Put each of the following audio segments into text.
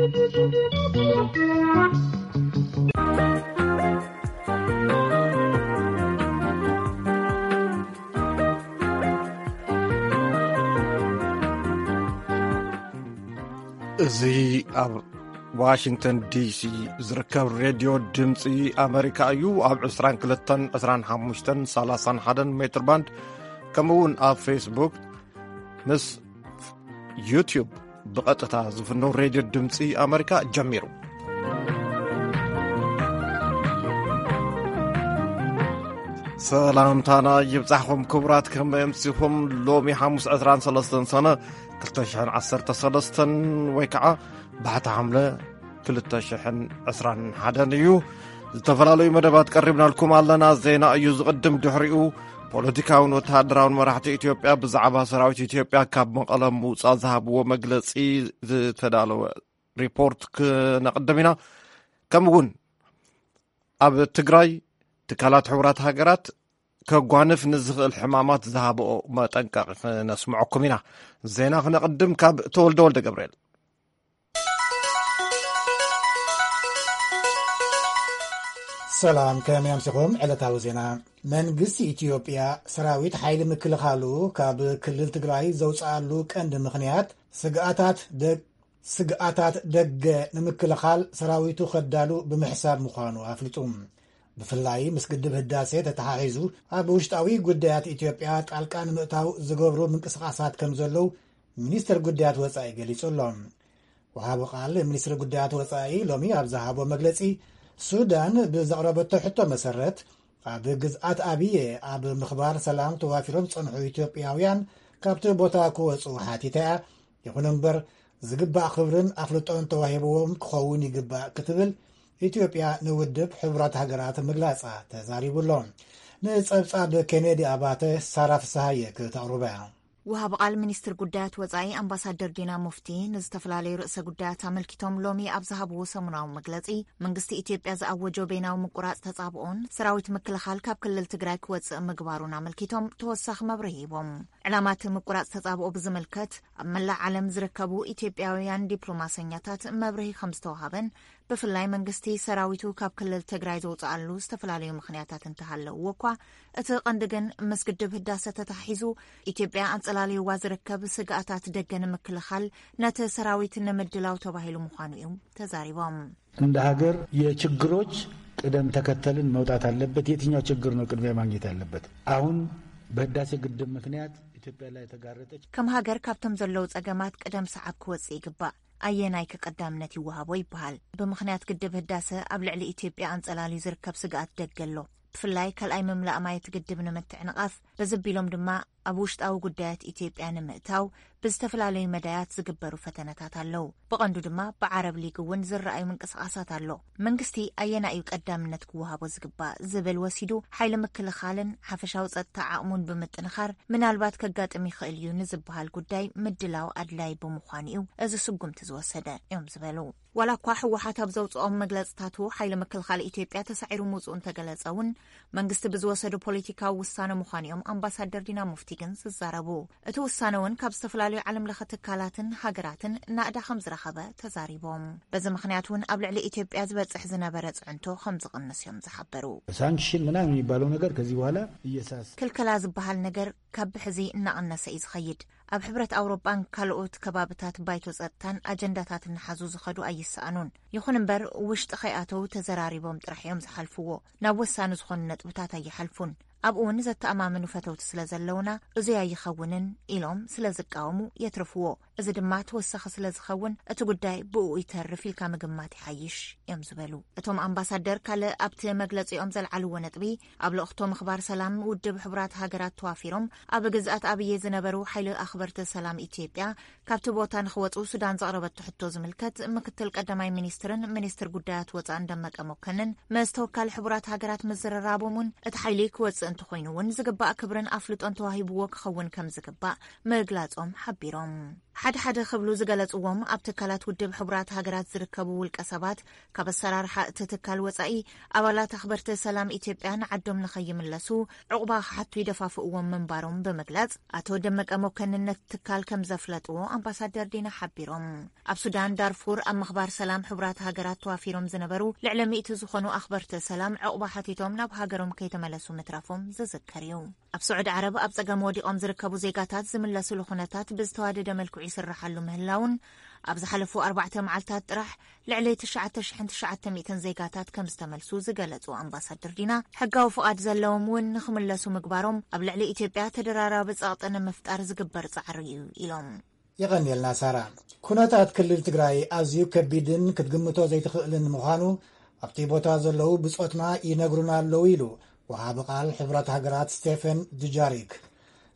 እዚ ኣብ ዋሽንግተን ዲሲ ዝርከብ ሬድዮ ድምፂ ኣመሪካ እዩ። ኣብ ዕስራን ክልተን፣ ዕስራን ሓሙሽተን፣ ሰላሳን ሓደን ሜትር ባንድ፣ ከምኡ እውን ኣብ ፌስቡክ ምስ ዩቲዩብ ብቐጥታ ዝፍኖ ሬድዮ ድምፂ ኣመሪካ ጀሚሩ። ሰላምታና ይብጻሕኹም ክቡራት፣ ከመይ ኣምሲኹም? ሎሚ ሓሙስ ዕስራን ሰለስተን ሰነ ክልተ ሽሕን ዓሰርተ ሰለስተን ወይ ከዓ ባሕቲ ሓምለ ክልተ ሽሕን ዕስራን ሓደን እዩ። ዝተፈላለዩ መደባት ቀሪብናልኩም ኣለና። ዜና እዩ ዝቕድም። ድሕሪኡ ፖለቲካውን ወተሃደራውን መራሕቲ ኢትዮጵያ ብዛዕባ ሰራዊት ኢትዮጵያ ካብ መቐለ ምውጻእ ዝሃብዎ መግለጺ ዝተዳለወ ሪፖርት ክነቕድም ኢና። ከምኡ እውን ኣብ ትግራይ ትካላት ሕቡራት ሃገራት ከጓንፍ ንዝኽእል ሕማማት ዝሃብኦ መጠንቀቒ ክነስምዐኩም ኢና። ዜና ክነቕድም ካብ ተወልደ ወልደ ገብርኤል። ሰላም፣ ከመይ ኣምሲኹም? ዕለታዊ ዜና። መንግስቲ ኢትዮጵያ ሰራዊት ሓይሊ ምክልኻሉ ካብ ክልል ትግራይ ዘውፅኣሉ ቀንዲ ምኽንያት ስግኣታት ደግ-፣ ስግኣታት ደገ ንምክልኻል ሰራዊቱ ከዳሉ ብምሕሳብ ምዃኑ ኣፍሊጡ። ብፍላይ ምስ ግድብ ህዳሴ ተተሓሒዙ ኣብ ውሽጣዊ ጉዳያት ኢትዮጵያ ጣልቃ ንምእታው ዝገብሩ ምንቅስቓሳት ከም ዘለዉ ሚኒስትር ጉዳያት ወጻኢ ገሊጹ ኣሎ። ወሃቢ ቃል ሚኒስትሪ ጉዳያት ወጻኢ ሎሚ ኣብ ዝሃቦ መግለጺ፣ ሱዳን ብዘቕረበቶ ሕቶ መሰረት ኣብ ግዝኣት ኣብየ ኣብ ምኽባር ሰላም ተዋፊሮም ዝጸንሑ ኢትዮጵያውያን ካብቲ ቦታ ክወጹ ሓቲታ እያ። ይኹን እምበር ዝግባእ ክብርን ኣፍልጦን ተዋሂብዎም ክኸውን ይግባእ ክትብል ኢትዮጵያ ንውድብ ሕቡራት ሃገራት ምግላጻ ተዛሪቡ ኣሎ። ንጸብጻብ ኬኔዲ ኣባተ ሳራ ፍስሃየ ክተቕርቦ እያ። ወሃቢ ቃል ሚኒስትር ጉዳያት ወጻኢ ኣምባሳደር ዲና ሙፍቲ ንዝተፈላለዩ ርእሰ ጉዳያት ኣመልኪቶም ሎሚ ኣብ ዝሃብዎ ሰሙናዊ መግለጺ፣ መንግስቲ ኢትዮጵያ ዝኣወጆ በይናዊ ምቁራጽ ተጻብኦን ሰራዊት ምክልኻል ካብ ክልል ትግራይ ክወጽእ ምግባሩን ኣመልኪቶም ተወሳኺ መብርሂ ሂቦም። ዕላማ እቲ ምቁራጽ ተጻብኦ ብዝምልከት ኣብ መላእ ዓለም ዝርከቡ ኢትዮጵያውያን ዲፕሎማሰኛታት መብርሂ ከም ዝተዋሃበን ብፍላይ መንግስቲ ሰራዊቱ ካብ ክልል ትግራይ ዘውፅኣሉ ዝተፈላለዩ ምኽንያታት እንተሃለውዎ እኳ፣ እቲ ቀንዲ ግን ምስ ግድብ ህዳሰ ተተሓሒዙ ኢትዮጵያ ኣንፀላልይዋ ዝርከብ ስግኣታት ደገ ንምክልኻል ነቲ ሰራዊት ንምድላው ተባሂሉ ምዃኑ እዮም ተዛሪቦም። እንደ ሀገር የችግሮች ቅደም ተከተልን መውጣት አለበት። የትኛው ችግር ነው ቅድሚያ ማግኘት ያለበት? አሁን በህዳሴ ግድብ ምክንያት ኢትዮጵያ ላይ የተጋረጠች ከም ሃገር ካብቶም ዘለዉ ጸገማት ቅደም ሰዓብ ክወጽእ ይግባእ። ኣየናይ ከቀዳምነት ይወሃቦ ይበሃል። ብምኽንያት ግድብ ህዳሰ ኣብ ልዕሊ ኢትዮጵያ ኣንጸላልዩ ዝርከብ ስግኣት ደገ ኣሎ። ብፍላይ ካልኣይ ምምላእ ማይ እቲ ግድብ ንምትዕንቓፍ፣ በዚ ኣቢሎም ድማ ኣብ ውሽጣዊ ጉዳያት ኢትዮጵያ ንምእታው ብዝተፈላለዩ መዳያት ዝግበሩ ፈተነታት ኣለዉ። ብቐንዱ ድማ ብዓረብ ሊግ እውን ዝረኣዩ ምንቅስቓሳት ኣሎ። መንግስቲ ኣየናይ እዩ ቀዳምነት ክወሃቦ ዝግባእ ዝብል ወሲዱ፣ ሓይሊ ምክልኻልን ሓፈሻዊ ጸጥታ ዓቕሙን ብምጥንኻር ምናልባት ከጋጥም ይኽእል እዩ ንዝበሃል ጉዳይ ምድላው ኣድላዪ ብምዃኑ እዩ እዚ ስጉምቲ ዝወሰደ እዮም ዝበሉ። ዋላ እኳ ህወሓት ኣብ ዘውፅኦም መግለፅታቱ ሓይሊ ምክልኻል ኢትዮጵያ ተሳዒሩ ምውፅኡ እንተገለፀ እውን መንግስቲ ብዝወሰዶ ፖለቲካዊ ውሳነ ምዃኑ እዮም ኣምባሳደር ዲና ሙፍቲ ግን ዝዛረቡ። እቲ ውሳነ እውን ካብ ዝተፈላለዩ ዓለም ለኸ ትካላትን ሃገራትን ናእዳ ከም ዝረኸበ ተዛሪቦም። በዚ ምኽንያት እውን ኣብ ልዕሊ ኢትዮጵያ ዝበፅሕ ዝነበረ ፅዕንቶ ከም ዝቕንስ እዮም ዝሓበሩ። ሳንክሽን ምናምን የሚባለው ነገር ከዚህ በኋላ እየሳስ ክልከላ ዝበሃል ነገር ካብ ብሕዚ እናቐነሰ እዩ ዝኸይድ። ኣብ ሕብረት ኣውሮጳን ካልኦት ከባብታት ባይቶ ጸጥታን ኣጀንዳታት እናሓዙ ዝኸዱ ኣይሰኣኑን። ይኹን እምበር ውሽጢ ከይኣተው ተዘራሪቦም ጥራሕ እዮም ዝሓልፍዎ። ናብ ወሳኒ ዝኾኑ ነጥብታት ኣይሓልፉን። ኣብኡ እውን ዘተኣማምኑ ፈተውቲ ስለ ዘለውና እዙይ ኣይኸውንን ኢሎም ስለ ዝቃወሙ የትርፍዎ። እዚ ድማ ተወሳኺ ስለ ዝኸውን እቲ ጉዳይ ብኡ ይተርፍ ኢልካ ምግማት ይሓይሽ እዮም ዝበሉ። እቶም ኣምባሳደር ካልእ ኣብቲ መግለጺኦም ዘልዓልዎ ነጥቢ ኣብ ልእኽቶ ምኽባር ሰላም ውድብ ሕቡራት ሃገራት ተዋፊሮም ኣብ ግዝኣት ኣብየ ዝነበሩ ሓይሊ ኣኽበርቲ ሰላም ኢትዮጵያ ካብቲ ቦታ ንኽወፁ ሱዳን ዘቕረበቶ ሕቶ ዝምልከት ምክትል ቀዳማይ ሚኒስትርን ሚኒስትር ጉዳያት ወፃእን ደመቀ መኮንን ምስ ተወካሊ ሕቡራት ሃገራት ምዝርራቦም እውን እቲ ሓይሊ ክወፅእ እንተኾይኑ እውን ዝግባእ ክብርን ኣፍልጦን ተዋሂብዎ ክኸውን ከም ዝግባእ ምግላፆም ሓቢሮም። ሓደ ሓደ ክብሉ ዝገለጽዎም ኣብ ትካላት ውድብ ሕቡራት ሃገራት ዝርከቡ ውልቀ ሰባት፣ ካብ ኣሰራርሓ እቲ ትካል ወጻኢ፣ ኣባላት ኣኽበርቲ ሰላም ኢትዮጵያ ንዓዶም ንኸይምለሱ ዕቑባ ክሓቱ ይደፋፍእዎም ምንባሮም ብምግላጽ፣ ኣቶ ደመቀ መኮንን ነቲ ትካል ከም ዘፍለጥዎ ኣምባሳደር ዲና ሓቢሮም። ኣብ ሱዳን ዳርፉር ኣብ ምኽባር ሰላም ሕቡራት ሃገራት ተዋፊሮም ዝነበሩ ልዕሊ ሚእቲ ዝኾኑ ኣኽበርቲ ሰላም ዕቑባ ሓቲቶም ናብ ሃገሮም ከይተመለሱ ምትራፎም ዝዝከር እዩ። ኣብ ስዑዲ ዓረብ ኣብ ጸገም ወዲቖም ዝርከቡ ዜጋታት ዝምለስሉ ኩነታት ብዝተዋደደ መልክዑ ይስርሓሉ ምህላውን፣ ኣብ ዝሓለፉ ኣርባዕተ መዓልታት ጥራሕ ልዕሊ ትሽዓተ ሽሕን ትሽዓተ ሚእትን ዜጋታት ከም ዝተመልሱ ዝገለጹ ኣምባሳደር ዲና፣ ሕጋዊ ፍቓድ ዘለዎም እውን ንኽምለሱ ምግባሮም ኣብ ልዕሊ ኢትዮጵያ ተደራራቢ ጸቕጢ ንምፍጣር ዝግበር ጻዕሪ እዩ ኢሎም። የቐንየልና ሳራ። ኩነታት ክልል ትግራይ ኣዝዩ ከቢድን ክትግምቶ ዘይትኽእልን ምዃኑ ኣብቲ ቦታ ዘለዉ ብጾትና ይነግሩና ኣለዉ ኢሉ ወሃቢ ቃል ሕቡራት ሃገራት ስቴፈን ዱጃሪክ።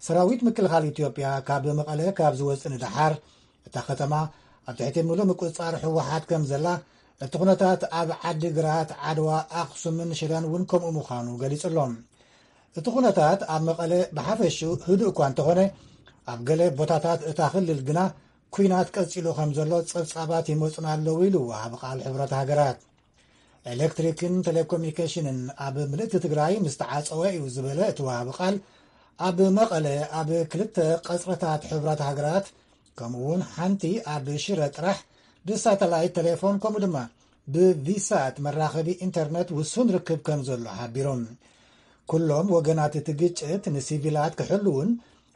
ሰራዊት ምክልኻል ኢትዮጵያ ካብ መቐለ ካብ ዝወፅእ ንደሓር እታ ከተማ ኣብ ትሕቲ ምሉእ ምቁፅፃር ህወሓት ከም ዘላ፣ እቲ ኩነታት ኣብ ዓዲ ግራት፣ ዓድዋ፣ ኣኽሱምን ሽረን እውን ከምኡ ምዃኑ ገሊጹ ኣሎ። እቲ ኩነታት ኣብ መቐለ ብሓፈሽኡ ህዱእ እኳ እንተኾነ፣ ኣብ ገለ ቦታታት እታ ክልል ግና ኲናት ቀጺሉ ከም ዘሎ ጸብጻባት ይመጹና ኣለዉ ኢሉ ወሃቢ ቃል ሕቡራት ሃገራት። ኤሌክትሪክን ቴሌኮሙኒኬሽንን ኣብ ምልእቲ ትግራይ ምስ ተዓጸወ እዩ ዝበለ እቲ ወሃቢ ቃል፣ ኣብ መቐለ ኣብ ክልተ ቀጽርታት ሕቡራት ሃገራት ከምኡ እውን ሓንቲ ኣብ ሽረ ጥራሕ ብሳተላይት ቴሌፎን ከምኡ ድማ ብቪሳት መራኸቢ ኢንተርነት ውሱን ርክብ ከም ዘሎ ሓቢሮም። ኩሎም ወገናት እቲ ግጭት ንሲቪላት ክሕልውን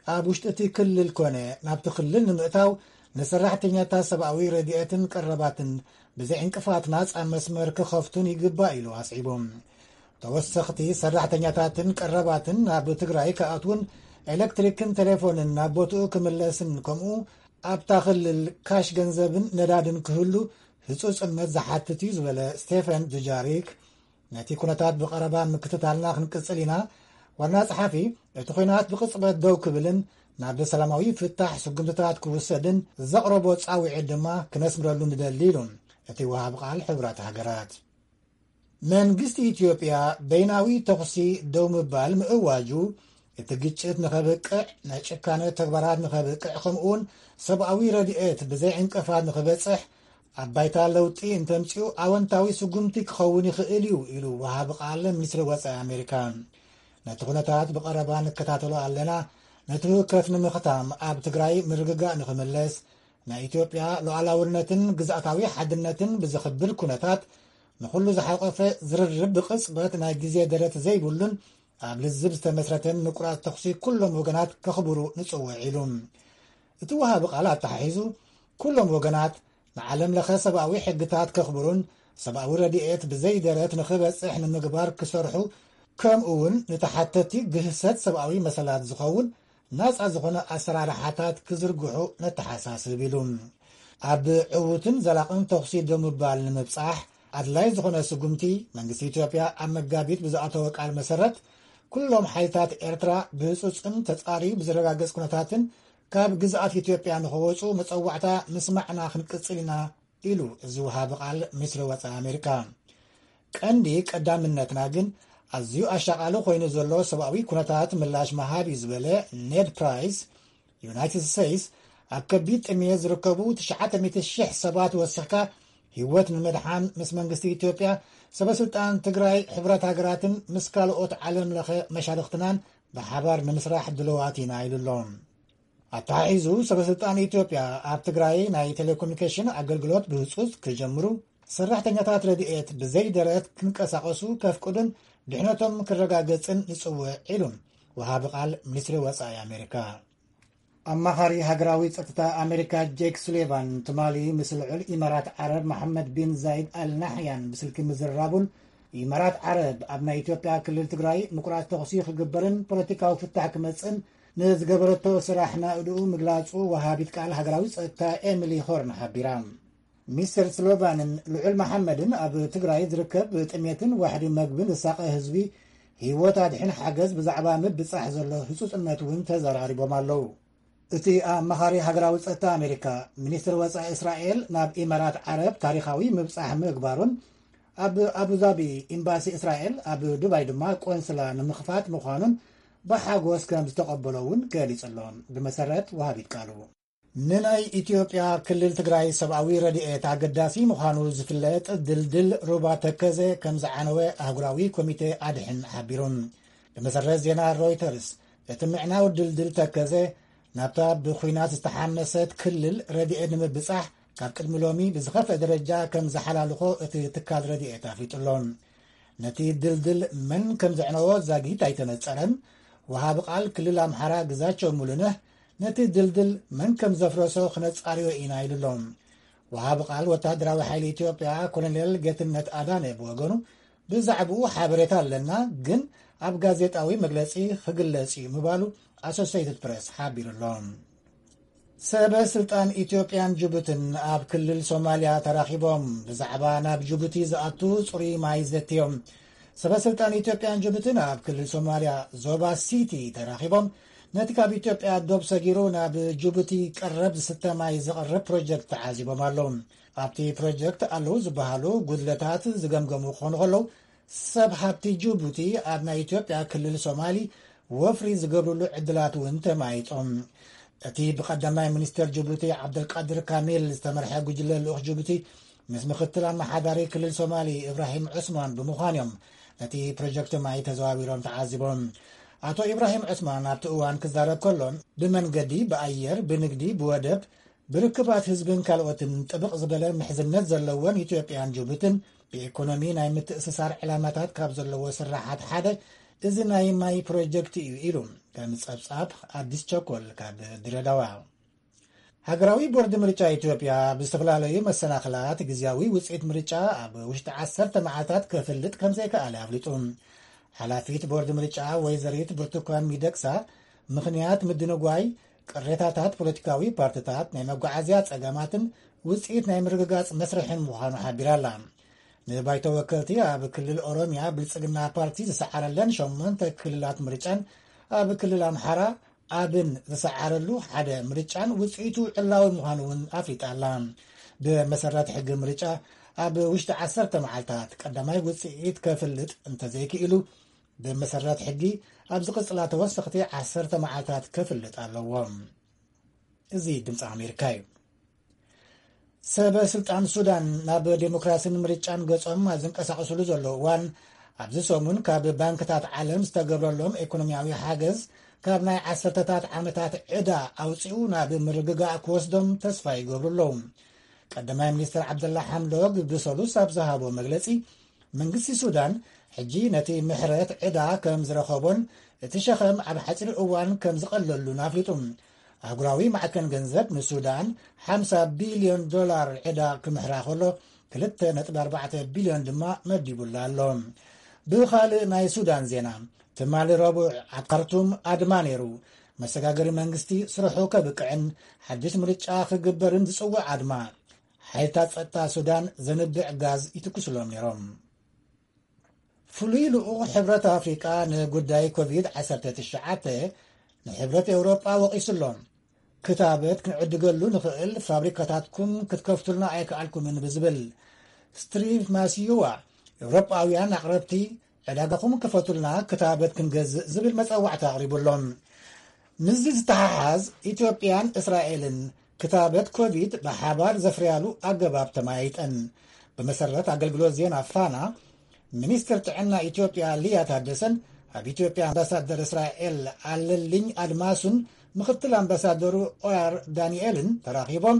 ኣብ ውሽጢ እቲ ክልል ኮነ ናብቲ ክልል ንምእታው ንሰራሕተኛታት ሰብኣዊ ረድኤትን ቀረባትን ብዘይ ዕንቅፋት ናጻ መስመር ክኸፍቱን ይግባእ ኢሉ ኣስዒቦም። ተወሰኽቲ ሰራሕተኛታትን ቀረባትን ናብ ትግራይ ክኣትውን ኤሌክትሪክን ቴሌፎንን ናብ ቦትኡ ክምለስን ከምኡ ኣብታ ክልል ካሽ ገንዘብን ነዳድን ክህሉ ህጹጽነት ዝሓትት እዩ ዝበለ ስቴፈን ዱጃሪክ፣ ነቲ ኩነታት ብቐረባ ምክትታልና ክንቅጽል ኢና። ዋና ጸሓፊ እቲ ኲናት ብቕጽበት ደው ክብልን ናብ ሰላማዊ ፍታሕ ስጉምትታት ክውሰድን ዘቕረቦ ጻውዒት ድማ ክነስምረሉ ንደሊ ኢሉ እቲ ወሃቢ ቃል ሕቡራት ሃገራት። መንግስቲ ኢትዮጵያ በይናዊ ተኹሲ ደው ምባል ምእዋጁ፣ እቲ ግጭት ንኸብቅዕ፣ ናይ ጭካነ ተግባራት ንኸብቅዕ፣ ከምኡውን ሰብኣዊ ረድኤት ብዘይ ዕንቅፋት ንኽበጽሕ፣ ኣብ ባይታ ለውጢ እንተምጺኡ ኣወንታዊ ስጉምቲ ክኸውን ይኽእል እዩ ኢሉ ወሃቢ ቃል ሚኒስትሪ ወጻኢ ኣሜሪካ። ነቲ ኩነታት ብቐረባ ንከታተሎ ኣለና። ነቲ ህውከት ንምኽታም ኣብ ትግራይ ምርግጋእ ንኽምለስ፣ ናይ ኢትዮጵያ ሉዓላውነትን ግዝኣታዊ ሓድነትን ብዘኽብር ኩነታት ንኹሉ ዝሓቆፈ ዝርርብ ብቕጽበት ናይ ግዜ ደረት ዘይብሉን ኣብ ልዝብ ዝተመስረተን ምቁራጽ ተኹሲ ኩሎም ወገናት ከኽብሩ ንጽውዕ ኢሉ። እቲ ወሃቢ ቃል ኣተሓሒዙ፣ ኩሎም ወገናት ንዓለም ለኸ ሰብኣዊ ሕግታት ከኽብሩን ሰብኣዊ ረድኤት ብዘይ ደረት ንኽበጽሕ ንምግባር ክሰርሑ፣ ከምኡ እውን ንተሓተቲ ግህሰት ሰብኣዊ መሰላት ዝኸውን ናጻ ዝኾነ ኣሰራርሓታት ክዝርግሑ ነተሓሳስብ ኢሉ። ኣብ ዕዉትን ዘላቕን ተኹሲ ደው ምባል ንምብጻሕ ኣድላይ ዝኾነ ስጉምቲ መንግስቲ ኢትዮጵያ ኣብ መጋቢት ብዝኣተወ ቃል መሰረት ኩሎም ሓይልታት ኤርትራ ብህጹጽን ተጻርዩ ብዝረጋገጽ ኩነታትን ካብ ግዝኣት ኢትዮጵያ ንኸወጹ መጸዋዕታ ምስማዕና ክንቅጽል ኢና ኢሉ እዚ ወሃቢ ቃል ሚኒስትሪ ወጻኢ ኣሜሪካ። ቀንዲ ቀዳምነትና ግን ኣዝዩ ኣሻቓሊ ኮይኑ ዘሎ ሰብኣዊ ኩነታት ምላሽ ምሃብ እዩ ዝበለ ኔድ ፕራይስ፣ ዩናይትድ ስቴትስ ኣብ ከቢድ ጥሜት ዝርከቡ ትሽዓተ ሚእቲ ሽሕ ሰባት ወሲኽካ ህይወት ንምድሓን ምስ መንግስቲ ኢትዮጵያ፣ ሰበ ስልጣን ትግራይ፣ ሕቡራት ሃገራትን ምስ ካልኦት ዓለም ለኸ መሻርኽትናን ብሓባር ንምስራሕ ድልዋት ኢና ኢሉ ኣሎ። ኣተሓሒዙ ሰበ ስልጣን ኢትዮጵያ ኣብ ትግራይ ናይ ቴሌኮሙኒኬሽን ኣገልግሎት ብህጹጽ ክጀምሩ፣ ሰራሕተኛታት ረድኤት ብዘይ ደረት ክንቀሳቐሱ ከፍቅዱን ድሕነቶም ክረጋገጽን ንጽውዕ ኢሉ ወሃቢ ቃል ሚኒስትሪ ወጻኢ ኣሜሪካ። ኣማኻሪ ሃገራዊ ጸጥታ ኣሜሪካ ጄክ ሱሊቫን ትማሊ ምስ ልዑል ኢማራት ዓረብ መሓመድ ቢን ዛይድ ኣል ናሕያን ብስልኪ ምዝርራቡን፣ ኢማራት ዓረብ ኣብ ናይ ኢትዮጵያ ክልል ትግራይ ምቁራጽ ተኹሲ ክግበርን ፖለቲካዊ ፍታሕ ክመጽእን ንዝገበረቶ ስራሕ ናእድኡ ምግላጹ ወሃቢት ቃል ሃገራዊ ጸጥታ ኤሚሊ ሆርን ሓቢራ። ሚስተር ስሎቫንን ልዑል መሓመድን ኣብ ትግራይ ዝርከብ ጥሜትን ዋሕዲ መግብን ዝሳቐ ህዝቢ ህይወት ኣድሕን ሓገዝ ብዛዕባ ምብጻሕ ዘሎ ህጹጽነት እውን ተዘራሪቦም ኣለዉ። እቲ ኣማኻሪ ሃገራዊ ጸጥታ ኣሜሪካ፣ ሚኒስትር ወጻኢ እስራኤል ናብ ኢማራት ዓረብ ታሪኻዊ ምብጻሕ ምግባሩን ኣብ ኣቡዛቢ ኤምባሲ እስራኤል ኣብ ዱባይ ድማ ቆንስላ ንምኽፋት ምዃኑን ብሓጎስ ከም ዝተቐበሎ እውን ገሊጹ ኣሎ። ብመሰረት ወሃቢት ቃሉ ንናይ ኢትዮጵያ ክልል ትግራይ ሰብኣዊ ረድኤት ኣገዳሲ ምዃኑ ዝፍለጥ ድልድል ሩባ ተከዘ ከም ዝዓነወ ኣህጉራዊ ኮሚቴ ኣድሕን ሓቢሩ። ብመሰረት ዜና ሮይተርስ፣ እቲ ምዕናው ድልድል ተከዘ ናብታ ብኹናት ዝተሓመሰት ክልል ረድኤት ንምብጻሕ ካብ ቅድሚ ሎሚ ብዝኸፍአ ደረጃ ከም ዝሓላልኾ እቲ ትካል ረድኤት ኣፍሊጡ ኣሎ። ነቲ ድልድል መን ከም ዘዕነዎ ዛጊት ኣይተነጸረን። ወሃቢ ቃል ክልል ኣምሓራ ግዛቸው ሙሉነህ ነቲ ድልድል መን ከም ዘፍረሶ ክነጻርዮ ኢና ኢሉ ኣሎ። ወሃቢ ቃል ወታደራዊ ሓይሊ ኢትዮጵያ ኮሎኔል ጌትነት ኣዳነ ብወገኑ፣ ብዛዕባኡ ሓበሬታ ኣለና፣ ግን ኣብ ጋዜጣዊ መግለጺ ክግለጽ እዩ ምባሉ ኣሶሴይትድ ፕሬስ ሓቢሩ ኣሎ። ሰበ ስልጣን ኢትዮጵያን ጅቡትን ኣብ ክልል ሶማልያ ተራኺቦም ብዛዕባ ናብ ጅቡቲ ዝኣቱ ጽሩይ ማይ ዘትዮም። ሰበ ስልጣን ኢትዮጵያን ጅቡትን ኣብ ክልል ሶማልያ ዞባ ሲቲ ተራኺቦም ነቲ ካብ ኢትዮጵያ ዶብ ሰጊሩ ናብ ጅቡቲ ቀረብ ዝስተ ማይ ዘቕርብ ፕሮጀክት ተዓዚቦም ኣለዉ። ኣብቲ ፕሮጀክት ኣለዉ ዝበሃሉ ጉድለታት ዝገምገሙ ክኾኑ ከለዉ፣ ሰብ ሃብቲ ጅቡቲ ኣብ ናይ ኢትዮጵያ ክልል ሶማሊ ወፍሪ ዝገብርሉ ዕድላት እውን ተማይጦም። እቲ ብቀዳማይ ሚኒስትር ጅቡቲ ዓብደልቃድር ካሚል ዝተመርሐ ጉጅለ ልኡኽ ጅቡቲ ምስ ምክትል ኣመሓዳሪ ክልል ሶማሊ ኢብራሂም ዑስማን ብምዃን እዮም ነቲ ፕሮጀክት ማይ ተዘዋዊሮም ተዓዚቦም። ኣቶ ኢብራሂም ዑስማን ኣብቲ እዋን ክዛረብ ከሎ፣ ብመንገዲ፣ ብኣየር፣ ብንግዲ፣ ብወደብ፣ ብርክባት ህዝብን ካልኦትን ጥብቕ ዝበለ ምሕዝነት ዘለወን ኢትዮጵያን ጅቡትን ብኢኮኖሚ ናይ ምትእስሳር ዕላማታት ካብ ዘለዎ ስራሓት ሓደ እዚ ናይ ማይ ፕሮጀክት እዩ ኢሉ። ከም ጸብጻብ ኣዲስ ቸኮል ካብ ድሬዳዋ። ሃገራዊ ቦርድ ምርጫ ኢትዮጵያ ብዝተፈላለዩ መሰናኽላት ግዝያዊ ውፅኢት ምርጫ ኣብ ውሽጢ ዓሰርተ መዓልታት ከፍልጥ ከም ዘይከኣለ ኣፍሊጡ። ሓላፊት ቦርድ ምርጫ ወይዘሪት ብርቱካን ሚደቅሳ፣ ምኽንያት ምድንጓይ፣ ቅሬታታት ፖለቲካዊ ፓርትታት፣ ናይ መጓዓዝያ ጸገማትን ውጽኢት ናይ ምርግጋጽ መስርሕን ምዃኑ ሓቢራ ኣላ። ንባይቶ ወከልቲ ኣብ ክልል ኦሮምያ ብልጽግና ፓርቲ ዝሰዓረለን ሸሞንተ ክልላት ምርጫን ኣብ ክልል ኣምሓራ ኣብን ዝሰዓረሉ ሓደ ምርጫን ውጽኢቱ ዕላዊ ምዃኑ እውን ኣፍሊጣ ኣላ። ብመሰረት ሕጊ ምርጫ ኣብ ውሽጢ ዓሰርተ መዓልታት ቀዳማይ ውጽኢት ከፍልጥ እንተዘይክኢሉ፣ ብመሰረት ሕጊ ኣብ ዝቕጽላ ተወሰኽቲ ዓሰርተ መዓልታት ከፍልጥ ኣለዎ። እዚ ድምፂ ኣሜሪካ እዩ። ሰበ ስልጣን ሱዳን ናብ ዴሞክራሲን ምርጫን ገጾም ኣብ ዝንቀሳቐስሉ ዘሎ እዋን፣ ኣብዚ ሰሙን ካብ ባንክታት ዓለም ዝተገብረሎም ኢኮኖሚያዊ ሓገዝ ካብ ናይ ዓሰርተታት ዓመታት ዕዳ ኣውፂኡ ናብ ምርግጋእ ክወስዶም ተስፋ ይገብሩ ኣለዉ። ቀዳማይ ሚኒስትር ዓብደላ ሓምዶግ ብሰሉስ ኣብ ዝሃቦ መግለጺ፣ መንግስቲ ሱዳን ሕጂ ነቲ ምሕረት ዕዳ ከም ዝረኸቦን እቲ ሸኸም ኣብ ሓጺር እዋን ከም ዝቐለሉን ኣፍሊጡ። ኣህጉራዊ ማዕከን ገንዘብ ንሱዳን ሓምሳ ቢልዮን ዶላር ዕዳ ክምሕራ ከሎ፣ ክልተ ነጥቢ ኣርባዕተ ቢልዮን ድማ መዲቡላ ኣሎ። ብኻልእ ናይ ሱዳን ዜና፣ ትማሊ ረቡዕ ኣብ ካርቱም ኣድማ ነይሩ። መሰጋገሪ መንግስቲ ስርሑ ከብቅዕን ሓድሽ ምርጫ ክግበርን ዝጽውዕ ኣድማ፣ ሓይልታት ጸጥታ ሱዳን ዘንብዕ ጋዝ ይትኩስሎም ነይሮም። ፍሉይ ልኡኽ ሕብረት ኣፍሪቃ ንጉዳይ ኮቪድ ዓሰርተ ትሽዓተ ንሕብረት ኤውሮጳ ወቒሱ ኣሎ። ክታበት ክንዕድገሉ ንኽእል ፋብሪካታትኩም ክትከፍቱልና ኣይከኣልኩምን ብዝብል፣ ስትሪቭ ማሲዩዋ፣ ኤውሮጳውያን ኣቕረብቲ ዕዳጋኹም ክፈቱልና ክታበት ክንገዝእ ዝብል መጸዋዕታ ኣቕሪቡ ኣሎ። ምስዚ ዝተሓሓዝ ኢትዮጵያን እስራኤልን ክታበት ኮቪድ ብሓባር ዘፍርያሉ ኣገባብ ተመያይጠን። ብመሰረት ኣገልግሎት ዜና ፋና፣ ሚኒስትር ጥዕና ኢትዮጵያ ሊያ ታደሰን ኣብ ኢትዮጵያ ኣምባሳደር እስራኤል ኣለልኝ ኣድማሱን ምክትል ኣምባሳደሩ ኦያር ዳንኤልን ተራኺቦም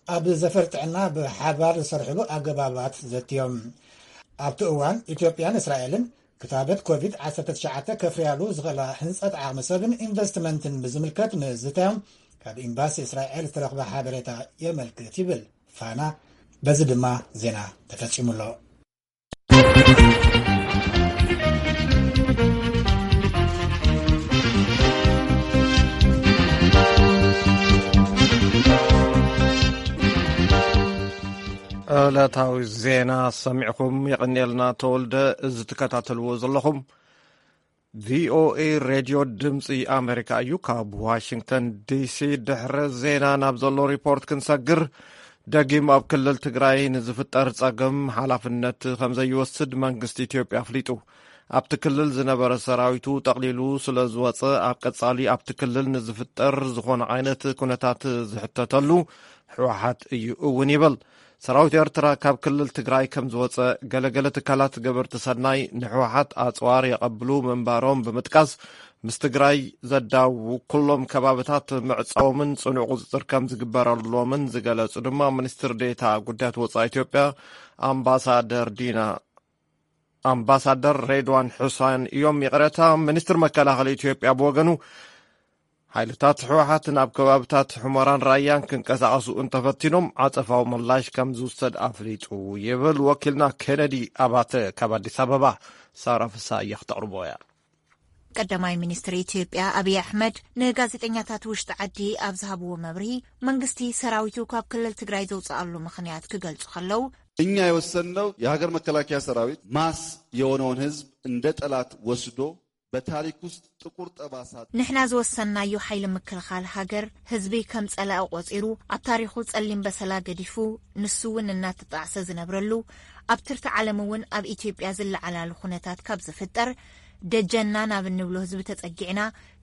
ኣብ ዘፈር ጥዕና ብሓባር ዝሰርሕሉ ኣገባባት ዘትዮም። ኣብቲ እዋን ኢትዮጵያን እስራኤልን ክታበት ኮቪድ ዓሰርተ ትሽዓተ ከፍርያሉ ዝኽእላ ህንጸት ዓቕሚ ሰብን ኢንቨስትመንትን ብዝምልከት ምዝታዮም ካብ ኤምባሲ እስራኤል ዝተረኽበ ሓበሬታ የመልክት ይብል ፋና። በዚ ድማ ዜና ተፈጺሙ ኣሎ። ዕለታዊ ዜና ሰሚዕኹም የቐንየልና ተወልደ። እዚ ትከታተልዎ ዘለኹም ቪኦኤ ሬድዮ ድምፂ ኣሜሪካ እዩ። ካብ ዋሽንግተን ዲሲ ድሕሪ ዜና ናብ ዘሎ ሪፖርት ክንሰግር፣ ደጊም ኣብ ክልል ትግራይ ንዝፍጠር ጸገም ሓላፍነት ከም ዘይወስድ መንግስቲ ኢትዮጵያ ኣፍሊጡ። ኣብቲ ክልል ዝነበረ ሰራዊቱ ጠቕሊሉ ስለ ዝወጸ፣ ኣብ ቀጻሊ ኣብቲ ክልል ንዝፍጠር ዝኾነ ዓይነት ኩነታት ዝሕተተሉ ህወሓት እዩ እውን ይብል። ሰራዊት ኤርትራ ካብ ክልል ትግራይ ከም ዝወጸ፣ ገለገለ ትካላት ገበርቲ ሰናይ ንህወሓት ኣጽዋር የቐብሉ ምንባሮም ብምጥቃስ፣ ምስ ትግራይ ዘዳውቡ ኩሎም ከባብታት ምዕጻዎምን ጽኑዕ ቁጽጽር ከም ዝግበረሎምን ዝገለጹ ድማ ሚኒስትር ዴታ ጉዳያት ወጻኢ ኢትዮጵያ ኣምባሳደር ዲና ኣምባሳደር ሬድዋን ሑሳን እዮም። ይቕረታ፣ ሚኒስትር መከላኸሊ ኢትዮጵያ ብወገኑ፣ ሓይልታት ህወሓት ናብ ከባብታት ሑመራን ራያን ክንቀሳቐሱ እንተፈቲኖም፣ ዓጸፋዊ ምላሽ ከም ዝውሰድ ኣፍሊጡ ይብል ወኪልና ኬነዲ ኣባተ ካብ ኣዲስ ኣበባ። ሳራ ፍሳየ ክተቕርቦ እያ። ቀዳማይ ሚኒስትር ኢትዮጵያ ኣብይ ኣሕመድ ንጋዜጠኛታት ውሽጢ ዓዲ ኣብ ዝሃብዎ መብርሂ፣ መንግስቲ ሰራዊቱ ካብ ክልል ትግራይ ዘውፅኣሉ ምኽንያት ክገልጹ ከለዉ፣ እኛ የወሰንነው የሀገር መከላከያ ሰራዊት ማስ የሆነውን ህዝብ እንደ ጠላት ወስዶ በታሪክ ውስጥ ጥቁር ጠባሳ ንሕና ዝወሰንናዮ ሓይሊ ምክልኻል ሃገር ህዝቢ ከም ጸላኢ ቆጺሩ ኣብ ታሪኹ ጸሊም በሰላ ገዲፉ ንሱ እውን እናተጣዕሰ ዝነብረሉ ኣብ ትርታ ዓለም እውን ኣብ ኢትዮጵያ ዝለዓላሉ ኩነታት ካብ ዝፍጠር ደጀንና ናብ እንብሎ ህዝቢ ተጸጊዕና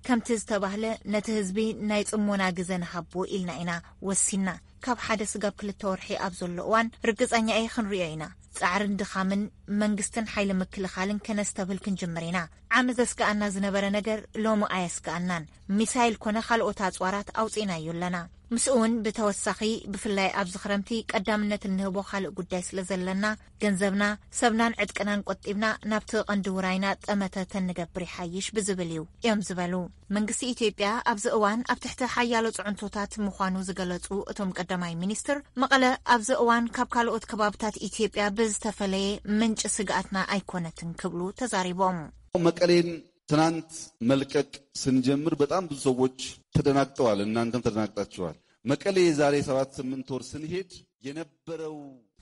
ከምቲ ዝተባህለ ነቲ ህዝቢ ናይ ጽሞና ግዘ ንሃቦ ኢልና ኢና ወሲንና። ካብ ሓደ ስጋብ ክልተ ወርሒ ኣብ ዘሎ እዋን ርግጸኛ እየ ክንሪኦ ኢና። ጻዕርን ድኻምን መንግስትን ሓይሊ ምክልኻልን ከነስተብህል ክንጅምር ኢና። ዓሚ ዘስግኣና ዝነበረ ነገር ሎሚ ኣየስግኣናን። ሚሳይል ኮነ ካልኦት ኣጽዋራት ኣውጺእናዮ ኣለና። ምስኡ እውን ብተወሳኺ ብፍላይ ኣብዚ ክረምቲ ቀዳምነት እንህቦ ካልእ ጉዳይ ስለ ዘለና ገንዘብና፣ ሰብናን ዕጥቅናን ቆጢብና ናብቲ ቀንዲ ውራይና ጠመተ ተንገብር ይሓይሽ ብዝብል እዩ እዮም ዝበሉ። መንግስቲ ኢትዮጵያ ኣብዚ እዋን ኣብ ትሕቲ ሓያሎ ጽዕንቶታት ምዃኑ ዝገለጹ እቶም ቀዳማይ ሚኒስትር፣ መቐለ ኣብዚ እዋን ካብ ካልኦት ከባብታት ኢትዮጵያ ብዝተፈለየ ምንጪ ስግኣትና ኣይኮነትን ክብሉ ተዛሪቦም። መቀሌን ትናንት መልቀቅ ስንጀምር በጣም ብዙ ሰዎች ተደናግጠዋል። እናንተም ተደናግጣችኋል። መቀሌ የዛሬ ሰባት ስምንት ወር ስንሄድ የነበረው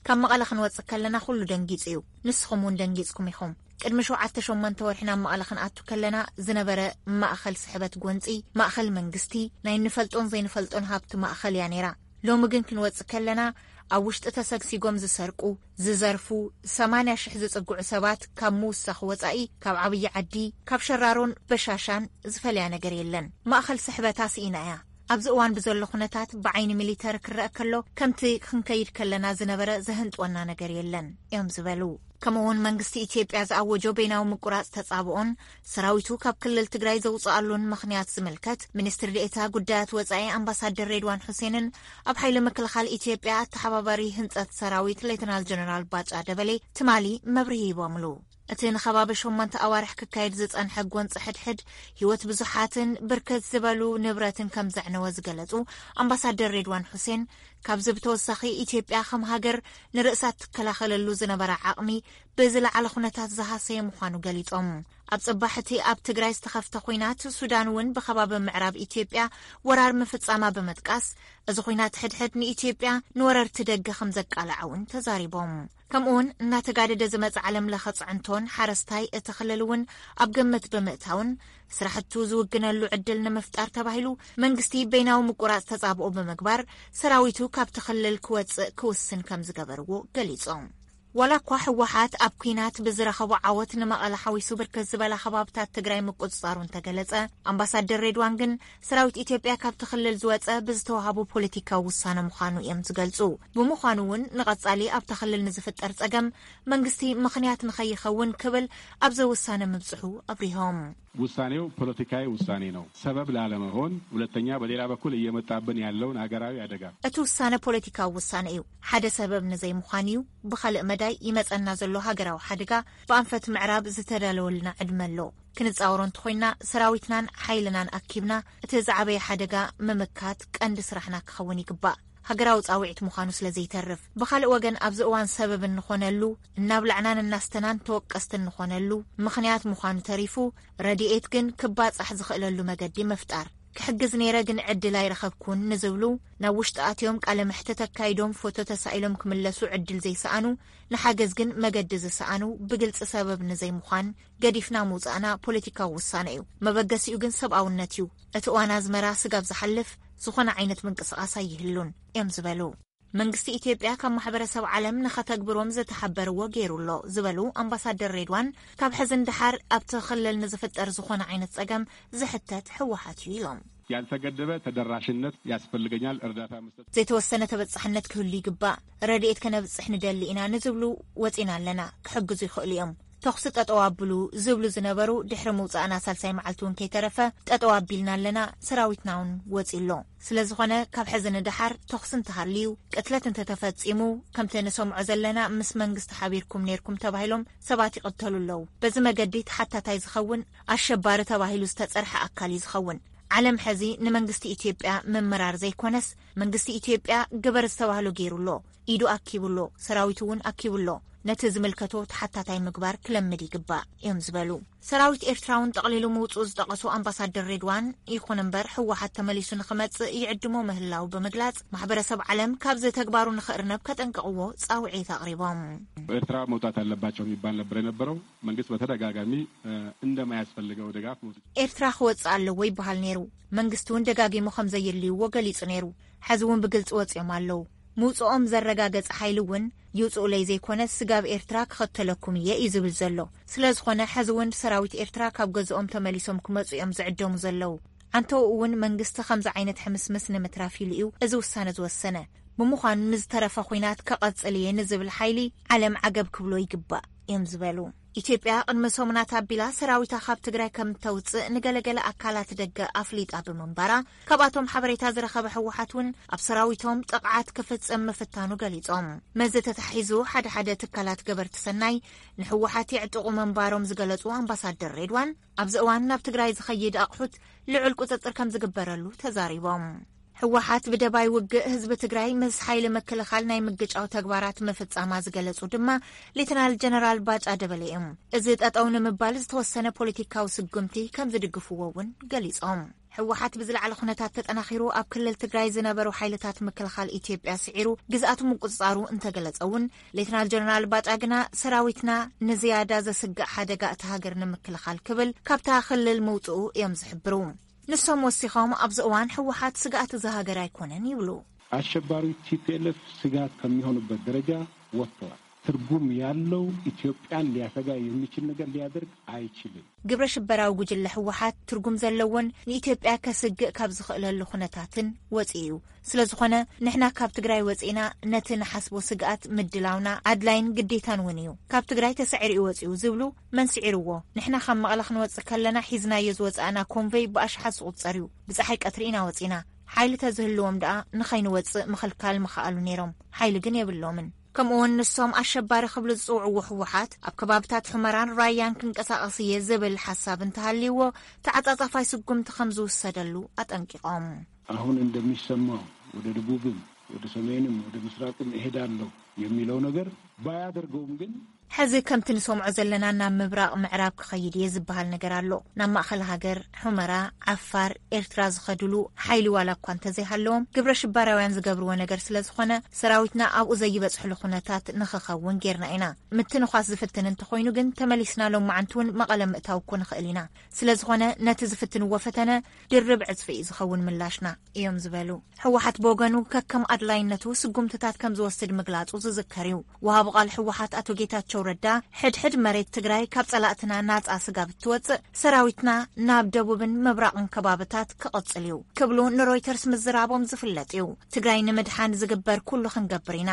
ካብ መቐለ ክንወጽእ ከለና ኩሉ ደንጊጹ እዩ። ንስኹም እውን ደንጊጽኩም ኢኹም። ቅድሚ ሸውዓተ ሸሞንተ ወርሒ ናብ መቐለ ክንኣቱ ከለና ዝነበረ ማእኸል ስሕበት ጎንጺ፣ ማእኸል መንግስቲ፣ ናይ እንፈልጦን ዘይንፈልጦን ሃብቲ ማእኸል እያ ነይራ። ሎሚ ግን ክንወጽእ ከለና ኣብ ውሽጢ ተሰግሲጎም ዝሰርቁ፣ ዝዘርፉ፣ ሰማንያ ሽሕ ዝጽግዑ ሰባት ካብ ምውሳኽ ወጻኢ ካብ ዓብዪ ዓዲ፣ ካብ ሸራሮን በሻሻን ዝፈልያ ነገር የለን። ማእኸል ስሕበታ ስኢና እያ። ኣብዚ እዋን ብዘሎ ኩነታት ብዓይኒ ሚሊተሪ ክረአ ከሎ ከምቲ ክንከይድ ከለና ዝነበረ ዘህንጥወና ነገር የለን እዮም ዝበሉ። ከምኡውን መንግስቲ ኢትዮጵያ ዝኣወጆ በይናዊ ምቁራጽ ተጻብኦን ሰራዊቱ ካብ ክልል ትግራይ ዘውፅኣሉን ምኽንያት ዝምልከት ሚኒስትር ዴኤታ ጉዳያት ወጻኢ ኣምባሳደር ሬድዋን ሑሴንን ኣብ ሓይሊ ምክልኻል ኢትዮጵያ ኣተሓባባሪ ህንጸት ሰራዊት ሌተናል ጀነራል ባጫ ደበሌ ትማሊ መብርሂ ሂቦምሉ። እቲ ንኸባቢ ሸሞንተ ኣዋርሕ ክካየድ ዝጸንሐ ጎንፂ ሕድሕድ ህይወት ብዙሓትን ብርክት ዝበሉ ንብረትን ከም ዘዕነወ ዝገለጹ ኣምባሳደር ሬድዋን ሑሴን፣ ካብዚ ብተወሳኺ ኢትዮጵያ ከም ሃገር ንርእሳ ትከላኸለሉ ዝነበራ ዓቕሚ ብዝለዓለ ኩነታት ዝሃሰየ ምዃኑ ገሊጾም። ኣብ ጽባሕ እቲ ኣብ ትግራይ ዝተኸፍተ ኲናት፣ ሱዳን እውን ብኸባቢ ምዕራብ ኢትዮጵያ ወራር ምፍጻማ ብምጥቃስ፣ እዚ ኲናት ሕድሕድ ንኢትዮጵያ ንወረርቲ ደገ ከም ዘቃልዓ እውን ተዛሪቦም። ከምኡውን እናተጋደደ ዝመጽእ ዓለም ለኸ ጽዕንቶን ሓረስታይ እቲ ክልል እውን ኣብ ግምት ብምእታውን ስራሕቱ ዝውግነሉ ዕድል ንምፍጣር ተባሂሉ መንግስቲ በይናዊ ምቁራጽ ተጻብኦ ብምግባር ሰራዊቱ ካብቲ ክልል ክወጽእ ክውስን ከም ዝገበርዎ ገሊጾም። ዋላ እኳ ህወሓት ኣብ ኲናት ብዝረኸቦ ዓወት ንመቐለ ሓዊሱ ብርክት ዝበላ ከባብታት ትግራይ ምቁጽጻሩ እንተገለጸ፣ ኣምባሳደር ሬድዋን ግን ሰራዊት ኢትዮጵያ ካብቲ ክልል ዝወጸ ብዝተዋሃቡ ፖለቲካዊ ውሳነ ምዃኑ እዮም ዝገልጹ። ብምዃኑ እውን ንቐጻሊ ኣብቲ ክልል ንዝፍጠር ጸገም መንግስቲ ምኽንያት ንኸይኸውን ክብል ኣብዚ ውሳነ ምብጽሑ ኣብሪሆም። ውሳኔው ፖለቲካዊ ውሳኔ ነው። ሰበብ ላለመሆን፣ ሁለተኛ በሌላ በኩል እየመጣብን ያለውን ሀገራዊ አደጋ እቲ ውሳነ ፖለቲካዊ ውሳነ እዩ። ሓደ ሰበብ ንዘይምዃን እዩ። ብኻልእ መዳይ ይመጸና ዘሎ ሃገራዊ ሓደጋ ብኣንፈት ምዕራብ ዝተዳለወልና ዕድመ ኣሎ። ክንጻወሮ እንተኾይንና ሰራዊትናን ሓይልናን ኣኪብና እቲ ዝዓበየ ሓደጋ ምምካት ቀንዲ ስራሕና ክኸውን ይግባእ። ሃገራዊ ጻውዒት ምዃኑ ስለ ዘይተርፍ። ብኻልእ ወገን ኣብዚ እዋን ሰበብ እንኾነሉ፣ እናብላዕናን እናስተናን ተወቀስቲ እንኾነሉ ምኽንያት ምዃኑ ተሪፉ፣ ረድኤት ግን ክባጻሕ ዝኽእለሉ መገዲ ምፍጣር። ክሕግዝ ነይረ ግን ዕድል ኣይረኸብኩን ንዝብሉ፣ ናብ ውሽጢ ኣትዮም ቃለ መሕትት ኣካይዶም ፎቶ ተሳኢሎም ክምለሱ ዕድል ዘይሰኣኑ፣ ንሓገዝ ግን መገዲ ዝሰኣኑ፣ ብግልጺ ሰበብ ንዘይምዃን ገዲፍና ምውጻእና ፖለቲካዊ ውሳነ እዩ። መበገሲኡ ግን ሰብኣውነት እዩ። እቲ እዋን ኣዝመራ ስጋብ ዝሓልፍ ዝኾነ ዓይነት ምንቅስቓስ ኣይህሉን እዮም ዝበሉ። መንግስቲ ኢትዮጵያ ካብ ማሕበረሰብ ዓለም ንኸተግብሮም ዝተሓበርዎ ገይሩ ኣሎ ዝበሉ ኣምባሳደር ሬድዋን፣ ካብ ሕዚ ንደሓር ኣብቲ ክልል ንዝፍጠር ዝኾነ ዓይነት ጸገም ዝሕተት ህወሓት እዩ ኢሎም። ያልተገደበ ተደራሽነት ያስፈልገኛል፣ እርዳታ መስጠት። ዘይተወሰነ ተበጻሕነት ክህሉ ይግባእ፣ ረድኤት ከነብጽሕ ንደሊ ኢና ንዝብሉ ወጺና ኣለና፣ ክሕግዙ ይኽእሉ እዮም። ተኹሲ ጠጠው ኣብሉ ዝብሉ ዝነበሩ ድሕሪ ምውጻእና ሳልሳይ መዓልቲ እውን ከይተረፈ ጠጠው ኣቢልና ኣለና፣ ሰራዊትና እውን ወጺ ኣሎ። ስለ ዝኾነ ካብ ሕዚ ንደሓር ተኹሲ እንተሃልዩ፣ ቅትለት እንተተፈጺሙ፣ ከምቲ ንሰምዖ ዘለና ምስ መንግስቲ ሓቢርኩም ነይርኩም ተባሂሎም ሰባት ይቕተሉ ኣለዉ። በዚ መገዲ ተሓታታይ ዝኸውን ኣሸባሪ ተባሂሉ ዝተጸርሐ ኣካል እዩ ዝኸውን። ዓለም ሕዚ ንመንግስቲ ኢትዮጵያ ምምራር ዘይኮነስ መንግስቲ ኢትዮጵያ ግበር ዝተባህሎ ገይሩ ኣሎ፣ ኢዱ ኣኪቡ ኣሎ፣ ሰራዊቱ እውን ኣኪቡ ኣሎ። ነቲ ዝምልከቶ ተሓታታይ ምግባር ክለምድ ይግባእ እዮም ዝበሉ። ሰራዊት ኤርትራ እውን ጠቕሊሉ ምውፅኡ ዝጠቐሱ ኣምባሳደር ሬድዋን፣ ይኹን እምበር ህወሓት ተመሊሱ ንክመፅእ ይዕድሞ ምህላው ብምግላፅ፣ ማሕበረሰብ ዓለም ካብዚ ተግባሩ ንክእርነብ ከጠንቅቕዎ ፃውዒት ኣቕሪቦም። ኤርትራ መውጣት አለባቸው የሚባል ነበር የነበረው። መንግስት በተደጋጋሚ እንደማያስፈልገው ድጋፍ መውሰድ ኤርትራ ክወፅእ ኣለዎ ይበሃል ነይሩ። መንግስቲ እውን ደጋጊሙ ከም ዘየድልይዎ ገሊፁ ነይሩ። ሕዚ እውን ብግልፂ ወፂኦም ኣለዉ። ምውፅኦም ዘረጋገፀ ሓይሊ እውን ይውፅኡለይ ዘይኮነ ስጋብ ኤርትራ ክኸተለኩም እየ እዩ ዝብል ዘሎ። ስለ ዝኾነ ሕዚ እውን ሰራዊት ኤርትራ ካብ ገዝኦም ተመሊሶም ክመፁ እዮም ዝዕደሙ ዘለዉ። ዓንተኡ እውን መንግስቲ ከምዚ ዓይነት ሕምስምስ ንምትራፍ ኢሉ እዩ እዚ ውሳነ ዝወሰነ። ብምዃኑ ንዝተረፈ ኹናት ከቐፅል እየ ንዝብል ሓይሊ ዓለም ዓገብ ክብሎ ይግባእ እዮም ዝበሉ። ኢትዮጵያ ቅድሚ ሰሙናት ኣቢላ ሰራዊታ ካብ ትግራይ ከም እተውፅእ ንገለገለ ኣካላት ደገ ኣፍሊጣ ብምንባራ፣ ካብኣቶም ሓበሬታ ዝረኸበ ህወሓት እውን ኣብ ሰራዊቶም ጥቕዓት ክፍፅም ምፍታኑ ገሊፆም። መዚ ተታሒዙ ሓደ ሓደ ትካላት ገበርቲ ሰናይ ንህወሓት የዕጥቑ ምንባሮም ዝገለፁ ኣምባሳደር ሬድዋን፣ ኣብዚ እዋን ናብ ትግራይ ዝኸይድ ኣቕሑት ልዑል ቁፅፅር ከም ዝግበረሉ ተዛሪቦም። ህወሓት ብደባይ ውግእ ህዝቢ ትግራይ ምስ ሓይሊ ምክልኻል ናይ ምግጫው ተግባራት ምፍጻማ ዝገለጹ ድማ ሌተናል ጀነራል ባጫ ደበሌ እዮም። እዚ ጠጠው ንምባል ዝተወሰነ ፖለቲካዊ ስጉምቲ ከም ዝድግፍዎ እውን ገሊጾም። ህወሓት ብዝለዓለ ኩነታት ተጠናኺሩ ኣብ ክልል ትግራይ ዝነበሩ ሓይልታት ምክልኻል ኢትዮጵያ ስዒሩ ግዝኣቱ ምቁጽጻሩ እንተገለጸ እውን፣ ሌተናል ጀነራል ባጫ ግና ሰራዊትና ንዝያዳ ዘስግእ ሓደጋ እታ ሃገር ንምክልኻል ክብል ካብታ ክልል ምውጽኡ እዮም ዝሕብሩ። ንሶም ወሲኾም ኣብዚ እዋን ህወሓት ስግኣት እዛ ሃገር ኣይኮነን ይብሉ። አሸባሪ ቲፒኤልኤፍ ስጋት ከሚሆኑበት ደረጃ ወጥተዋል። ትርጉም ያለው ኢትዮጵያን ሊያሰጋ የሚችል ነገር ሊያደርግ አይችልም። ግብረ ሽበራዊ ጉጅለ ህወሓት ትርጉም ዘለዎን ንኢትዮጵያ ከስግእ ካብ ዝኽእለሉ ኩነታትን ወፂኡ እዩ። ስለ ዝኾነ ንሕና ካብ ትግራይ ወፂእና ነቲ ንሓስቦ ስግኣት ምድላውና ኣድላይን ግዴታን እውን እዩ። ካብ ትግራይ ተሳዒሩ እዩ ወፂኡ ዝብሉ መን ስዒርዎ? ንሕና ካብ መቐለ ክንወፅእ ከለና ሒዝናዮ ዝወፃእና ኮንቨይ ብኣሽሓት ዝቑፀር እዩ። ብፀሓይ ቀትሪ ኢና ወፂና። ሓይሊ ተዝህልዎም ደኣ ንኸይንወፅእ ምኽልካል ምኸኣሉ ነይሮም። ሓይሊ ግን የብሎምን። ከምኡውን ንሶም ኣሸባሪ ክብሉ ዝፅውዕዎ ህወሓት ኣብ ከባብታት ሑመራን ራያን ክንቀሳቐስ እየ ዝብል ሓሳብ እንተሃልይዎ ተዓፃፃፋይ ስጉምቲ ከም ዝውሰደሉ ኣጠንቂቖም። አሁን እንደሚሰማው ወደ ደቡብም ወደ ሰሜንም ወደ ምስራቅም እሄዳለሁ የሚለው ነገር ባያደርገውም ግን ሕዚ ከምቲ ንሰምዖ ዘለና ናብ ምብራቕ ምዕራብ ክኸይድ እየ ዝበሃል ነገር ኣሎ። ናብ ማእኸል ሃገር፣ ሑመራ፣ ዓፋር፣ ኤርትራ ዝኸድሉ ሓይሊ ዋላ እኳ እንተዘይሃለዎም ግብረ ሽባራውያን ዝገብርዎ ነገር ስለ ዝኾነ ሰራዊትና ኣብኡ ዘይበፅሕሉ ኩነታት ንኽኸውን ጌርና ኢና። ምትንዃስ ዝፍትን እንተኾይኑ ግን ተመሊስና ሎማዓንቲ እውን መቐለ ምእታው እኮ ንኽእል ኢና። ስለ ዝኾነ ነቲ ዝፍትንዎ ፈተነ ድርብ ዕፅፊ እዩ ዝኸውን ምላሽና እዮም ዝበሉ። ህወሓት ብወገኑ ከከም ኣድላይነቱ ስጉምትታት ከም ዝወስድ ምግላጹ ዝዝከር እዩ። ወሃቢ ቃል ህወሓት ኣቶ ጌታቸው ረዳ ሕድሕድ መሬት ትግራይ ካብ ጸላእትና ናጻ ስጋብ እትወጽእ ሰራዊትና ናብ ደቡብን ምብራቕን ከባብታት ክቕጽል እዩ ክብሉ ንሮይተርስ ምዝራቦም ዝፍለጥ እዩ። ትግራይ ንምድሓን ዝግበር ኩሉ ክንገብር ኢና።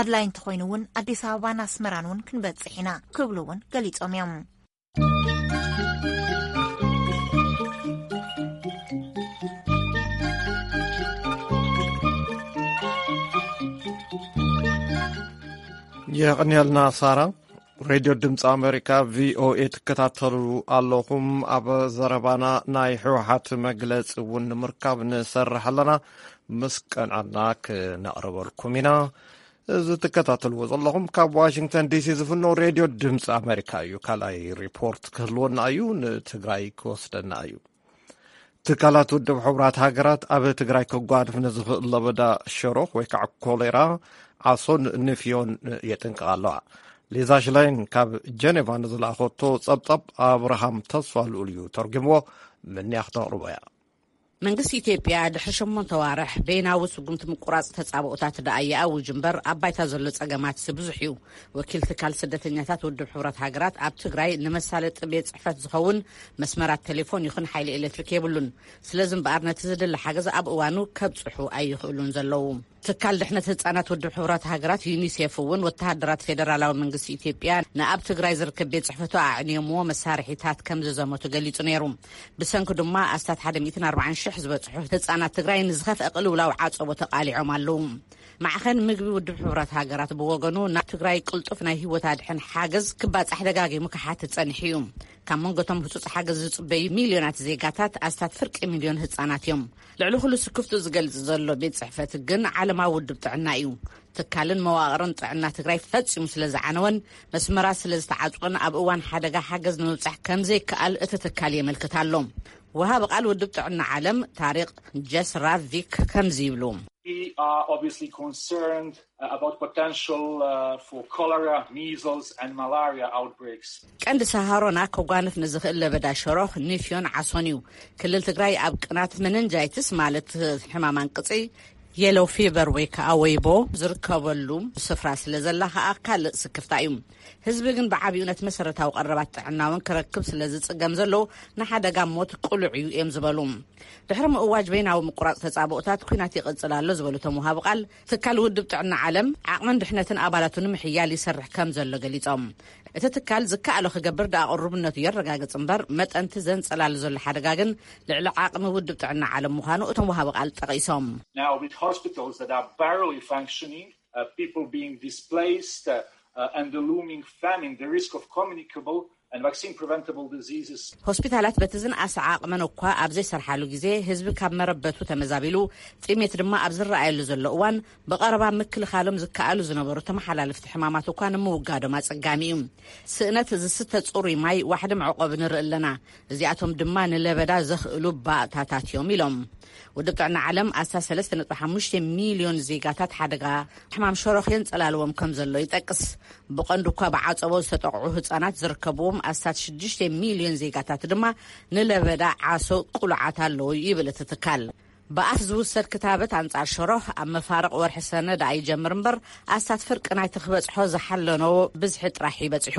ኣድላይ እንተኾይኑ እውን ኣዲስ ኣበባን ኣስመራን እውን ክንበጽሕ ኢና ክብሉ እውን ገሊጾም እዮም። የቐንየልና ሳራ። ሬድዮ ድምፂ ኣሜሪካ ቪኦኤ ትከታተሉ ኣለኹም። ኣብ ዘረባና ናይ ህወሓት መግለፂ እውን ንምርካብ ንሰርሕ ኣለና። ምስ ቀንዓና ክነቕርበልኩም ኢና። እዚ ትከታተልዎ ዘለኹም ካብ ዋሽንግተን ዲሲ ዝፍኖ ሬድዮ ድምፂ ኣሜሪካ እዩ። ካልኣይ ሪፖርት ክህልወና እዩ። ንትግራይ ክወስደና እዩ። ትካላት ውድብ ሕቡራት ሃገራት ኣብ ትግራይ ከጓድፍ ንዝኽእል ለበዳ ሸሮኽ ወይ ከዓ ኮሌራ፣ ዓሶን ንፍዮን የጥንቅቓ ኣለዋ። ሊዛ ሽላይን ካብ ጀኔቫ ንዝለኣኸቶ ጸብጻብ ኣብርሃም ተስፋ ልኡል እዩ ተርጉምዎ። ምንያ ክተቕርቦ እያ። መንግስቲ ኢትዮጵያ ድሕሪ ሸሞንተ ዋርሕ በይናዊ ስጉምቲ ምቁራጽ ተጻብኦታት ደኣ ይኣውጅ እምበር፣ ኣብ ባይታ ዘሎ ጸገማት ብዙሕ እዩ። ወኪል ትካል ስደተኛታት ውድብ ሕቡራት ሃገራት ኣብ ትግራይ ንመሳለጢ ቤት ጽሕፈት ዝኸውን መስመራት ቴሌፎን ይኹን ሓይሊ ኤሌክትሪክ የብሉን። ስለዚ እምበኣር ነቲ ዝድለ ሓገዝ ኣብ እዋኑ ከብጽሑ ኣይኽእሉን ዘለዉ። ትካል ድሕነት ህጻናት ውድብ ሕቡራት ሃገራት ዩኒሴፍ እውን ወተሃደራት ፌደራላዊ መንግስቲ ኢትዮጵያ ንኣብ ትግራይ ዝርከብ ቤት ጽሕፈቱ ኣዕንዮምዎ መሳርሒታት ከም ዝዘመቱ ገሊጹ ነይሩ። ብሰንኪ ድማ ኣስታት ሓደ ሚእትን ኣርባዓን ሽሕ ዝበጽሑ ህጻናት ትግራይ ንዝኸፍአ ቅልውላው ዓጸቦ ተቓሊዖም ኣለዉ። ማዕኸን ምግቢ ውድብ ሕቡራት ሃገራት ብወገኑ ናብ ትግራይ ቅልጡፍ ናይ ህይወት ኣድሕን ሓገዝ ክባጻሕ ደጋጊሙ ክሓትት ጸኒሑ እዩ። ካብ መንጎቶም ህጹጽ ሓገዝ ዝጽበዩ ሚልዮናት ዜጋታት ኣስታት ፍርቂ ሚልዮን ህጻናት እዮም። ልዕሊ ኩሉ ስክፍቱ ዝገልጽ ዘሎ ቤት ጽሕፈት ግን ዓለማዊ ውድብ ጥዕና እዩ። ትካልን መዋቕርን ጥዕና ትግራይ ፈጺሙ ስለ ዝዓነወን መስመራት ስለ ዝተዓጽወን ኣብ እዋን ሓደጋ ሓገዝ ንምብጻሕ ከም ዘይከኣል እቲ ትካል የመልክት ኣሎ። ወሃቢ ቃል ውድብ ጥዕና ዓለም ታሪቅ ጀስራቪክ ከምዚ ይብሉ። We are obviously concerned uh, about potential uh, for cholera, measles, and malaria outbreaks. ቀንዲ ሰሃሮና ከጓንፍ ንዝኽእል ለበዳ ሸሮኽ፣ ኒፍዮን ዓሶን እዩ። ክልል ትግራይ ኣብ ቅናት መነንጃይትስ ማለት ሕማም ኣንቅፂ፣ የሎ ፊበር ወይ ከዓ ወይቦ ዝርከበሉ ስፍራ ስለ ዘላ ከዓ ካልእ ስክፍታ እዩ። ህዝቢ ግን ብዓብዩ ነቲ መሰረታዊ ቀረባት ጥዕና እውን ክረክብ ስለ ዝፅገም ዘሎ ንሓደጋ ሞት ቅሉዕ እዩ እዮም ዝበሉ። ድሕሪ ምእዋጅ በይናዊ ምቁራፅ ተፃብኦታት ኩናት ይቕፅል ኣሎ ዝበሉ እቶም ወሃቢ ቃል፣ ትካል ውድብ ጥዕና ዓለም ዓቕምን ድሕነትን ኣባላቱ ንምሕያል ይሰርሕ ከም ዘሎ ገሊፆም። እቲ ትካል ዝከኣሎ ክገብር ደኣ ቅሩብነቱ የረጋግፅ እምበር፣ መጠንቲ ዘንፀላሉ ዘሎ ሓደጋ ግን ልዕሊ ዓቕሚ ውድብ ጥዕና ዓለም ምዃኑ እቶም ወሃቢ ቃል ጠቒሶም። Now, with hospitals that are barely functioning, uh, people being displaced, uh, uh, and the looming famine, the risk of communicable and vaccine preventable diseases. ሆስፒታላት በቲ ዝነኣሰ ዓቕመን እኳ ኣብ ዘይሰርሓሉ ግዜ፣ ህዝቢ ካብ መረበቱ ተመዛቢሉ፣ ጥሜት ድማ ኣብ ዝረኣየሉ ዘሎ እዋን፣ ብቐረባ ምክልኻሎም ዝከኣሉ ዝነበሩ ተመሓላለፍቲ ሕማማት እኳ ንምውጋዶም ኣጸጋሚ እዩ። ስእነት ዝስተ ጽሩይ ማይ፣ ዋሕዲ መዕቆቢ ንርኢ ኣለና። እዚኣቶም ድማ ንለበዳ ዘኽእሉ ባእታታት እዮም ኢሎም። ውድብ ጥዕና ዓለም ኣስታት ሰለስተ ነጥቢ ሓሙሽተ ሚልዮን ዜጋታት ሓደጋ ሕማም ሸሮኽ የንጸላልዎም ከም ዘሎ ይጠቅስ። ብቐንዱ እኳ ብዓጸቦ ዝተጠቕዑ ህጻናት ዝርከብዎም ኣስታት ሽዱሽተ ሚልዮን ዜጋታት ድማ ንለበዳ ዓሶ ቅሉዓት ኣለዉ ይብል እቲ ትካል። ብኣፍ ዝውሰድ ክታበት ኣንጻር ሸሮኽ ኣብ መፋርቕ ወርሒ ሰነ ደኣ ይጀምር እምበር፣ ኣስታት ፍርቂ ናይቲ ክበጽሖ ዝሓለኖ ብዝሒ ጥራሕ ይበጽሑ።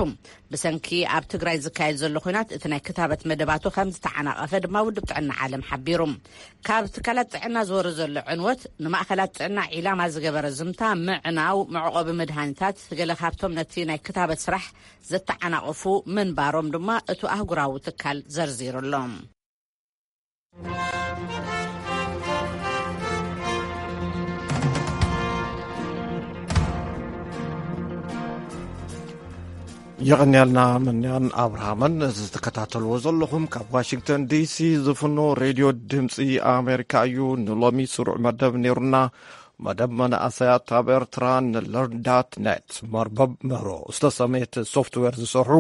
ብሰንኪ ኣብ ትግራይ ዝካየድ ዘሎ ኹናት፣ እቲ ናይ ክታበት መደባቱ ከም ዝተዓናቐፈ ድማ ውድብ ጥዕና ዓለም ሓቢሩ። ካብ ትካላት ጥዕና ዝወርድ ዘሎ ዕንወት፣ ንማእከላት ጥዕና ዒላማ ዝገበረ ዝምታ ምዕናው፣ መዕቆቢ መድሃኒታት፣ ገለ ካብቶም ነቲ ናይ ክታበት ስራሕ ዘተዓናቐፉ ምንባሮም ድማ እቱ ኣህጉራዊ ትካል ዘርዚሩ ኣሎ። የቐንያልና መንያን ኣብርሃምን። እዚ ትከታተልዎ ዘለኹም ካብ ዋሽንግተን ዲሲ ዝፍኖ ሬድዮ ድምፂ ኣሜሪካ እዩ። ንሎሚ ስሩዕ መደብ ነይሩና። መደብ መናእሰያት ኣብ ኤርትራ ንለርዳት ኔት መርበብ ምህሮ ዝተሰመየት ሶፍትዌር ዝሰርሑ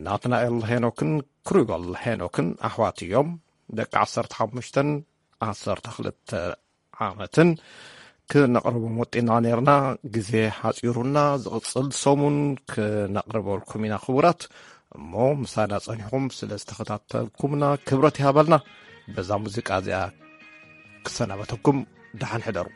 ናትናኤል ሄኖክን ክሩበል ሄኖክን ኣሕዋት እዮም። ደቂ ዓሰርተ ሓሙሽተን ዓሰርተ ክልተ ዓመትን ክነቕርቦም ወጢና ነይርና። ግዜ ሓፂሩና፣ ዝቕፅል ሰሙን ክነቕርበልኩም ኢና ክቡራት። እሞ ምሳና ፀኒሕኩም ስለ ዝተኸታተልኩምና ክብረት ይሃበልና። በዛ ሙዚቃ እዚኣ ክሰናበተኩም፣ ደሓን ሕደሩ።